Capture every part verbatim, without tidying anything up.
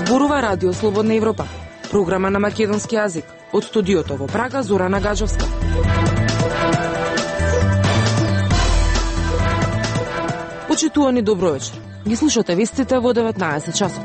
Зборува Радио Слободна Европа, програма на македонски јазик. Од студиото во Прага, Зорана Гаджовска. Почитувани, добро вечер. Ги слушате вестите во деветнаесет часот.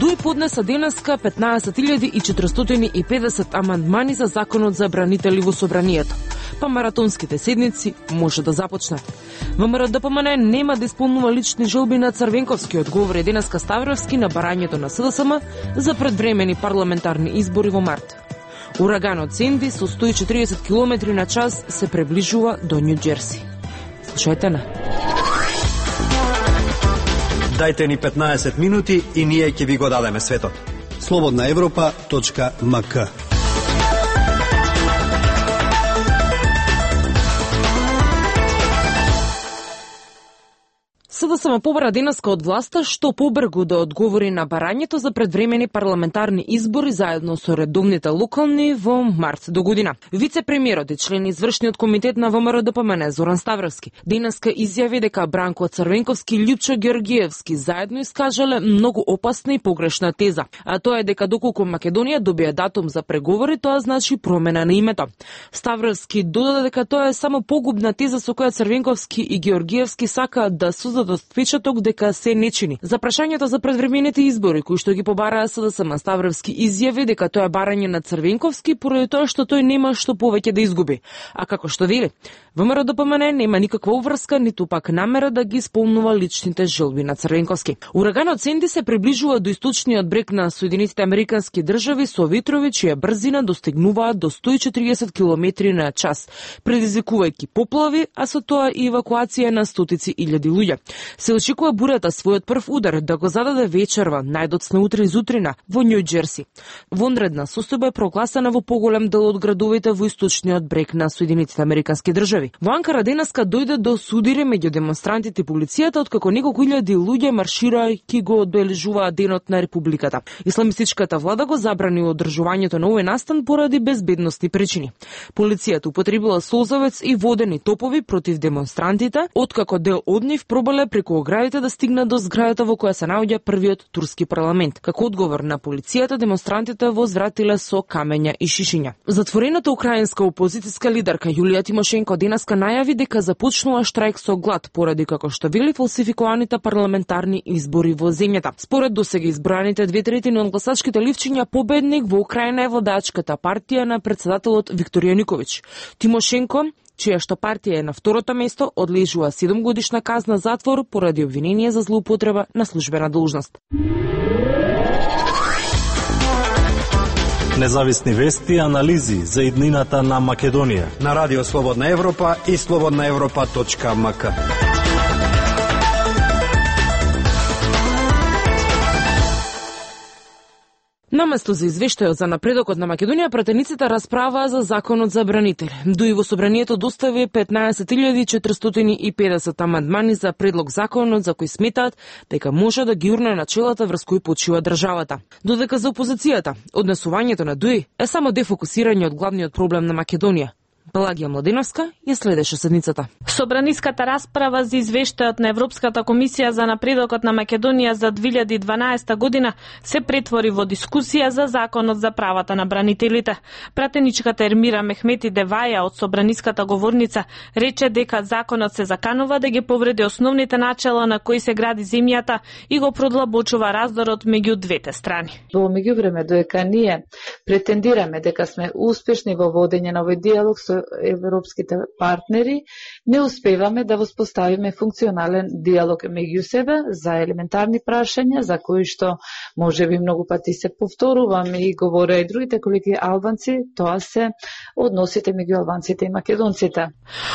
Дуј поднеса денеска петнаесет илјади четиристотини и педесет амандмани за законот за бранители во собранието. Па маратонските седници може да започнат. ВМРО-ДПМН нема да исполнува лични желби на Црвенковски, одговори денеска Ставровски на барањето на СДСМ за предвремени парламентарни избори во март. Ураганот Сенди со сто и четиридесет километри на час се приближува до Њу Џерси. Слушајте на. Дајте ни петнаесет минути и ние ќе ви го дадеме светот. слободна европа точка ем ка. СДСМ побара денеска од власта што побргу да одговори на барањето за предвремени парламентарни избори заедно со редовните локални во март до година. Вице-премиерот и член извршниот комитет на ВМРО-ДПМН Зоран Ставровски денеска изјави дека Бранко Црвенковски и Љупчо Георгиевски заедно искажале многу опасна и погрешна теза, а тоа е дека доколку Македонија добие датум за преговори, тоа значи промена на името. Ставровски додаде дека тоа е само погубна теза со која Црвенковски и Георгиевски сакаат да создадат впечаток дека се не чини. За прашањето за предвремените избори кои што ги побараа СДСМ, Ставровски изјави дека тоа е барање на Црвенковски поради тоа што тој нема што повеќе да изгуби. А како што вели, ВМРО-ДПМН нема никаква уврска ниту пак намера да ги исполнува личните желби на Црвенковски. Ураганот Сенди се приближува до источниот брег на Соединетите Американски држави со ветрови чија брзина достигнуваат до сто и четиридесет километри на час, предизвикувајќи поплави, а со тоа и евакуација на стотици илјади луѓе. Се очекува бурата својот прв удар да го зададе вечерва, најдоцна утре изутрина, во Њу Џерси. Вонредна состојба е прогласена во поголем дел од градовите во источниот брег на Соединетите Американски држави. Во Анкара денеска дојде до судири меѓу демонстрантите и полицијата, откако неколку илјади луѓе марширајќи го одбележуваат денот на Републиката. Исламистичката влада го забрани одржувањето на овој настан поради безбедностни причини. Полицијата употребила солзавец и водени топови против демонстрантите, откако дел од нив пробале преку оградите да стигнат до зградата во која се наоѓа првиот турски парламент. Како одговор на полицијата, демонстрантите возвратиле со камења и шишиња. Затворената украинска опозицијска лидерка Јулија Тимошенко денеска најави дека започнува штрајк со глад поради како што вели фалсификуваните парламентарни избори во земјата. Според досега избраните две третини од гласачките ливчиња, победник во Украина е владачката партија на председателот Виктор Јануковиќ. Тимошенко, чија што партија е на второто место, одлежува седум годишна казна затвор поради обвинение за злоупотреба на службена должност. Независни вести и анализи за иднината на Македонија на Радио Слободна Европа и слободна европа точка ем ка. Наместо за извештајот за напредокот на Македонија, пратениците расправаа за законот за бранители. Дуи во собранието достави петнаесет илјади четиристотини и педесет амандмани за предлог законот за кој сметаат дека може да ги урне начелата врз кои почива државата. Додека за опозицијата, однесувањето на Дуи е само дефокусирање од главниот проблем на Македонија. Пелагија Младеновска ја следеше седницата. Собраниската расправа за извештајот на Европската комисија за напредокот на Македонија за две илјади и дванаесета година се претвори во дискусија за законот за правата на бранителите. Пратеничката Ермира Мехмети Деваја од собраниската говорница рече дека законот се заканува да ги повреди основните начела на кои се гради земјата и го продлабочува раздорот меѓу двете страни. Во меѓувреме, додека ние претендираме дека сме успешни во водење на овој диалог со европските партнери, не успеваме да воспоставиме функционален диалог меѓу себе за елементарни прашања за кои што можеби многу пати се повторуваме и говоре и другите колеги албанци, тоа се односите меѓу албанците и македонците.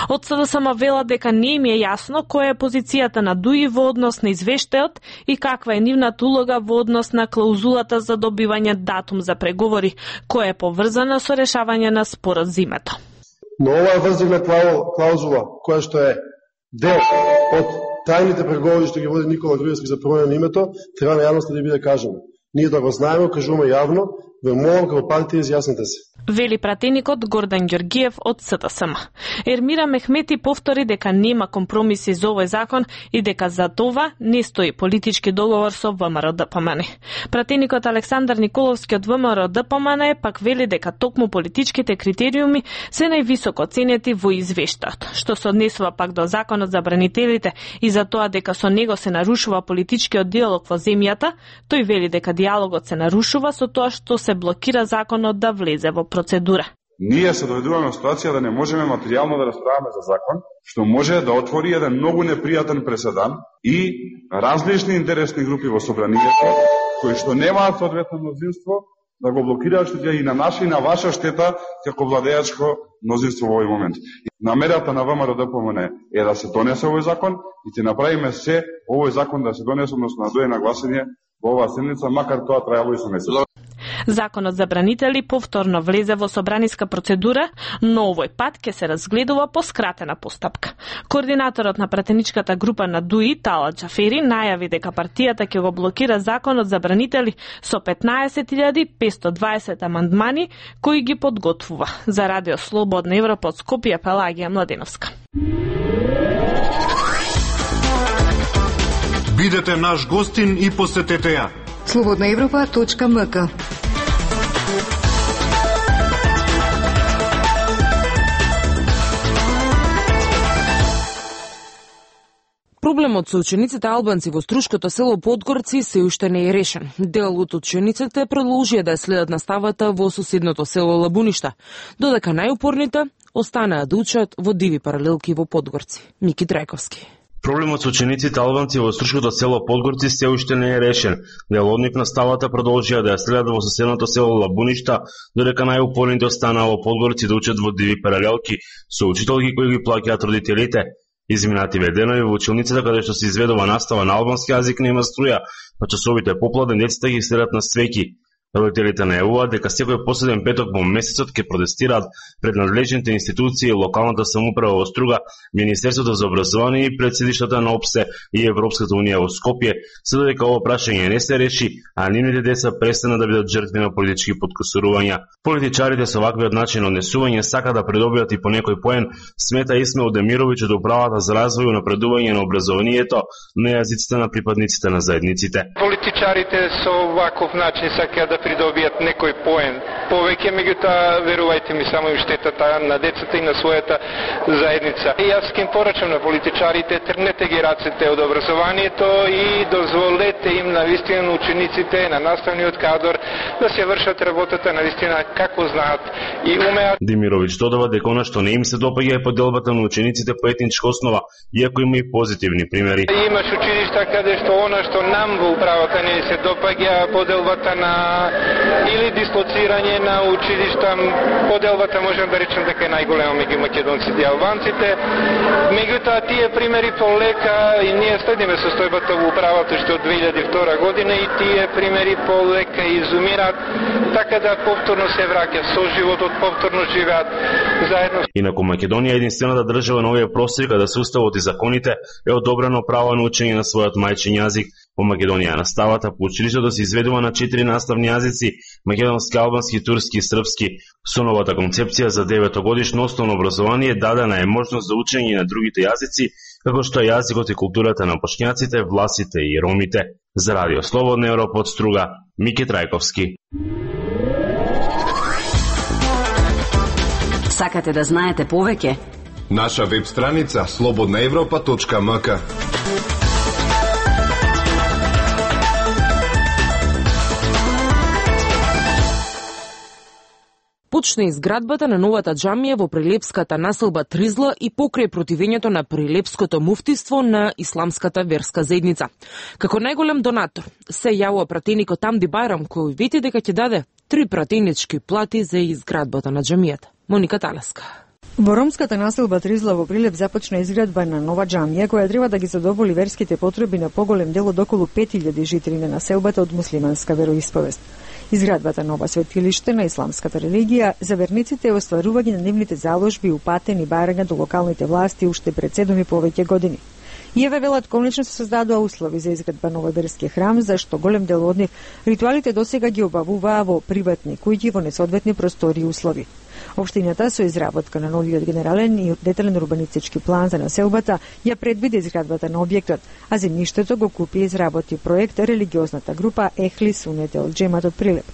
Од СДСМ вела дека не им е јасно која е позицијата на Дуи во однос на извештајот и каква е нивната улога во однос на клаузулата за добивање датум за преговори, која е поврзана со решавање на спорот за името. Но оваа врзивна клаузула, која што е дел од тајните преговори што ги води Никола Груевски за промена на името, треба на јавноста да биде кажано. Ние да го знаеме, кажуваме јавно, ве молам како партија изјаснете се. вели пратеникот Гордан Ѓоргиев од С Т С М. Ермира Мехмети повтори дека нема компромиси за овој закон и дека за това не стои политички договор со В М Р Д П М Н. Пратеникот Александар Николовски од В М Р Д П М Н пак вели дека токму политичките критериуми се највисоко ценети во извештајот, што се однесува пак до законот за бранителите и за тоа дека со него се нарушува политичкиот диалог во земјата. Тој вели дека диалогот се нарушува со тоа што се блокира законот да влезе во процедура. Ние се доведуваме во ситуација да не можеме материјално да расправаме за закон, што може да отвори еден многу непријатен преседан и различни интересни групи во собранието, кои што немаат соодветно мнозинство, да го блокираат, што ќе и на наша и на ваша штета како владеачко мнозинство во овој момент. Намерата на В М Р Д П М Н е да се донесе овој закон и ќе направиме се овој закон да се донесе, односно да дојде на гласање во оваа седмица, макар тоа траело и со месец. Законот за бранители повторно влезе во собраниска процедура, но овој пат ќе се разгледува по скратена постапка. Координаторот на пратеничката група на Д У И, Талат Џафери, најави дека партијата ќе го блокира законот за бранители со петнаесет илјади петстотини и дваесет амандмани кои ги подготвува. За Радио Слободна Европа од Скопје, Пелагија Младеновска. Бидете наш гостин и посетете ја. слободна европа точка м к. Проблемот со учениците албанци во Струшкото село Подгорци се уште не е решен. Дел од учениците продолжија да ја следат наставата во соседното село Лабуништа, додека најупорните останаа да учат во диви паралелки во Подгорци. Мики Трајковски. Проблемот со учениците албанци во Струшкото село Подгорци се уште не е решен. Дел од нив наставата продолжија да ја следат во соседното село Лабуништа, додека најупорните останаа во Подгорци да учат во диви паралелки со учителки кои ги плаќаат родителите. Изминативе денови во училницата каде што се изведува настава на албански јазик нема струја, па часовите попладне децата ги следат на свеќи. Родителите најавуваат дека секој последен петок во месецот ќе протестираат пред надлежните институции, локалната самоуправа во Струга, Министерството за образование и пред седиштата на ОПСЕ и Европската унија во Скопје, се додека ова прашање не се реши, а нивните деца престанат да бидат жртви на политички подкусурувања. Политичарите со ваквиот начин однесување сака да придобијат и по некој поен, смета Исмаил Демировиќ од управата за развој и напредување на образованието на јазиците на припадниците на заедниците. Политичарите со ваков начин сакаат да придобијат некој поен повеќе, меѓутоа верувајте ми, само им штетата на децата и на својата заедница. И јас ќе им порачам на политичарите, тргнете ги рацете од образованието и дозволете им навистина на учениците, на наставниот кадар да се вршат работата навистина како знаат и умеат. Демировиќ додава дека она што не им се допаѓа е поделбата на учениците по етничка основа, иако има и позитивни примери. Имаш училишта каде што она што нам во управата не се допаѓа, поделбата на или дислоцирање на училишта, поделбата можем да речем дека е најголема меѓу македонците и албанците. Меѓутоа тие примери полека и ние следиме состојбата во управата што од две илјади и втора година и тие примери полека изумираат, така да повторно се враќа со животот, повторно живеат заедно. Инаку Македонија е единствената држава на овие простори каде се уставот и законите е одобрено право на учење на својот мајчин јазик. Во Македонија наставата по училиштето се изведува на четири наставни јазици: македонски, албански, турски и српски. Со новата концепција за деветогодишно основно образование дадена е можност за учење на другите јазици, како што е јазикот и културата на бошњаците, власите и ромите. За Радио Слободна Европа од Струга, Мики Трајковски. Сакате да знаете повеќе? Наша веб страница слободна европа точка м к. Почна изградбата на новата џамија во прилепската населба Тризла и покрај противењето на прилепското муфтиство на исламската верска заедница. Како најголем донатор се јавува пратеникот Амди Байрам, кој вети дека ќе даде три пратенички плати за изградбата на џамијата. Моника Талеска. Во ромската населба Тризла во Прилеп започна изградба на нова џамија која треба да ги задоволи верските потреби на поголем дел од околу пет илјади жители на населбата од муслиманска вероисповест. Изградбата нова светилиште на исламската религија за верниците е остварување на нивните заложби упатени барања до локалните власти уште пред седум и повеќе години. Ја велат конечно се создадоа услови за изградба на овој верски храм, зашто голем дел од нив ритуалите досега ги обавуваа во приватни куќи во несоодветни простори и услови. Општината со изработка на новиот генерален и детален урбанистички план за населбата ја предвиди изградбата на објектот, а земјиштето го купи и изработи проект религиозната група Ехли Сунете од Джемат од Прилеп.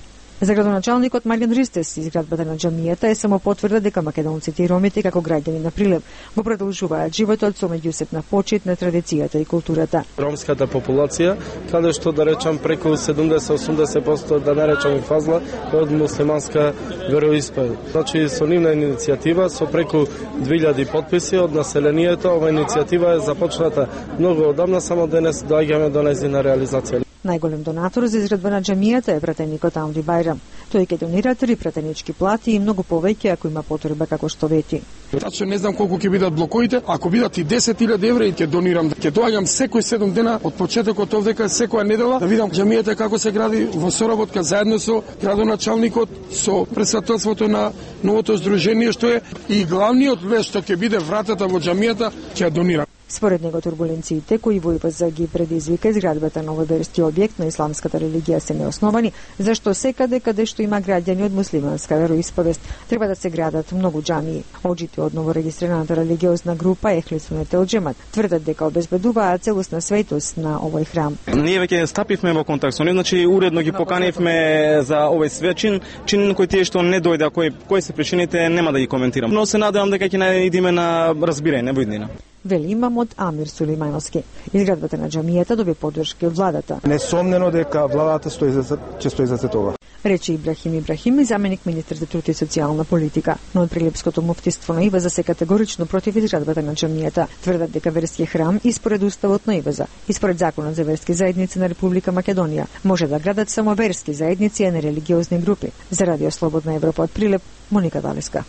За градоначалникот Марјан Ристес, изградбата на џамијата е само потврда дека македонците и ромите како граѓани на Прилеп го продолжуваат животот со меѓусебна почит на традицијата и културата. Ромската популација, каде што да речам преку седумдесет до осумдесет проценти да не речам и фазла од муслиманска вероисповед. Значи со нивна иницијатива со преку две илјади потписи од населението, ова иницијатива е започната многу одамна, само денес доаѓаме до нејзина реализација. Најголем донатор за изградба на џамијата е пратеникот Амри Бајрам. Тој ќе донира три пратенички плати и многу повеќе ако има потреба, како што вети. Тачно не знам колку ќе бидат блоковите, ако бидат и десет илјади евра ќе донирам. Ќе доаѓам секој седум дена од почетокот овдека, секоја недела да видам џамијата како се гради во соработка заедно со градоначалникот, со претседателството на новото здружение што е, и главниот лест што ќе биде вратата во џамијата ќе донирам. Според него турбуленциите кои во ИВЗ ги предизвика изградбата на овој верски објект на исламската религија се неосновани, зашто секаде каде што има граѓани од муслиманска вероисповест треба да се градат многу џамии. Оџите од новорегистрираната религиозна група Ехли Сунете од Джемат тврдат дека обезбедуваат целосна светост на овој храм. Ние веќе стапивме во контакт со нив, значи уредно ги поканивме за овој свечин, чин кој тие што не дојде, кој кои се причините нема да ги коментирам. Но се надевам дека ќе најдеме на разбирање во иднина. Вели имамот Амир Сулеймановски. Изградбата на џамијата доби поддршка од владата. Несомнено дека владата стои за ќе стои за тоа. Рече Ибрахим Ибрахими, заменик министер за труд и социјална политика. Но од Прилепското муфтиство на ИВЗ се категорично против изградбата на џамијата. Тврдат дека верски храм и според уставот на ИВЗ и според законот за верски заедници на Република Македонија може да градат само верски заедници, а не религиозни групи. За Радио Слободна Европа од Прилеп, Моника Далеска.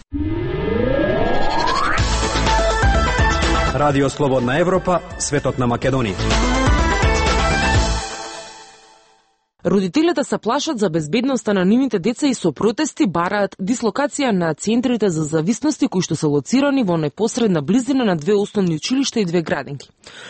Радио Слободна Европа, светот на Македонија. Родителите се плашат за безбедноста на нивните деца и со протести бараат дислокација на центрите за зависности кои што се лоцирани во непосредна близина на две основни училишта и две градинки.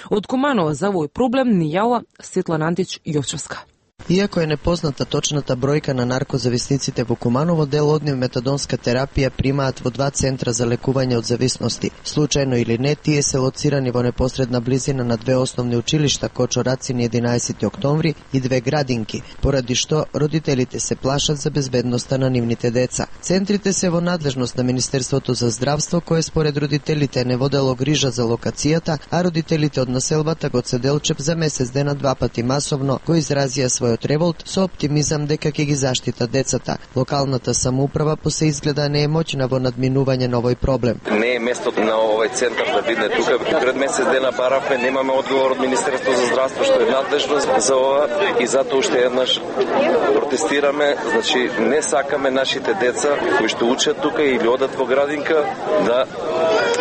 Од Куманово за овој проблем ни јава Светлана Антич Јовчевска. Иако е непозната точната бројка на наркозависниците во Куманово, дел од нив метадонска терапија примаат во два центра за лекување од зависности. Случајно или не, тие се лоцирани во непосредна близина на две основни училишта Кочо Рацини единаесети октомври и две градинки, поради што родителите се плашат за безбедноста на нивните деца. Центрите се во надлежност на Министерството за здравство, кое според родителите не водело грижа за локацијата, а родителите од населбата Гоце Делчев за месец дена два пати масовно го изразија својот револт со оптимизам дека ќе ги заштита децата. Локалната самоуправа по се изгледа не е моќна во надминување на овој проблем. Не е местото на овој центар да биде тука. Пред месец дена баравме, немаме одговор од Министерството за здравство што е надлежно за ова и затоа уште еднаш протестираме, значи не сакаме нашите деца кои што учат тука или одат во градинка да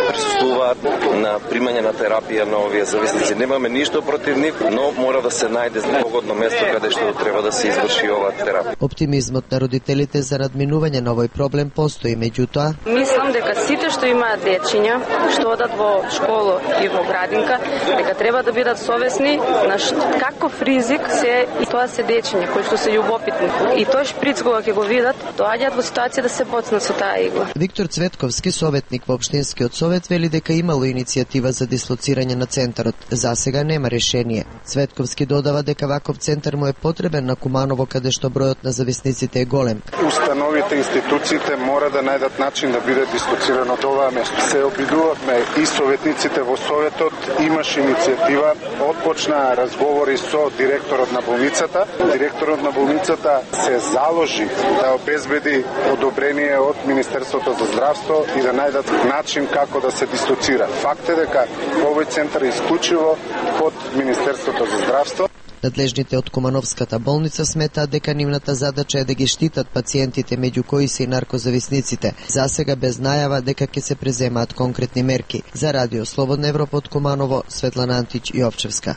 присуствуваат на примање на терапија на овие зависници. Немаме ништо против нив, но мора да се најде погодно место каде што треба да се изврши оваа терапија. Оптимизмот на родителите за надминување на овој проблем постои, меѓутоа мислам дека сите што имаат дечиња, што одат во школа и во градинка, дека треба да бидат совесни на каков ризик се и тоа се дечиња кои што се љубопитни. И тој шприц кога ќе го видат, доаѓаат во ситуација да се боцнат со таа игла. Виктор Цветковски, советник во општинскиот совет, вели дека имало иницијатива за дислоцирање на центарот. За сега нема решение. Цветковски додава дека ваков центар му е потребен на Куманово, каде што бројот на зависниците е голем. Установите, институциите мора да најдат начин да биде дислоцирано од оваа место. Се обидувавме и советниците во советот, имаше иницијатива, отпочна разговори со директорот на болницата. Директорот на болницата се заложи да обезбеди одобрение од Министерството за здравство и да најдат начин како да се дислоцира. Факт е дека овој центар е исклучиво под Министерството за здравство. Надлежните од Кумановската болница сметаат дека нивната задача е да ги штитат пациентите, меѓу кои се и наркозависниците. За сега без најава дека ќе се преземаат конкретни мерки. За Радио Слободна Европа од Куманово, Светлана Антич Јовчевска.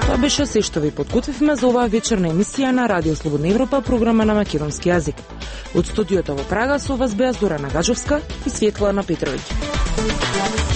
Тоа беше се што ви подготвивме за оваа вечерна емисија на Радио Слободна Европа, програма на македонски јазик. Од студиото во Прага со вас беа Зорана Гаджовска и Светлана Петровиќ.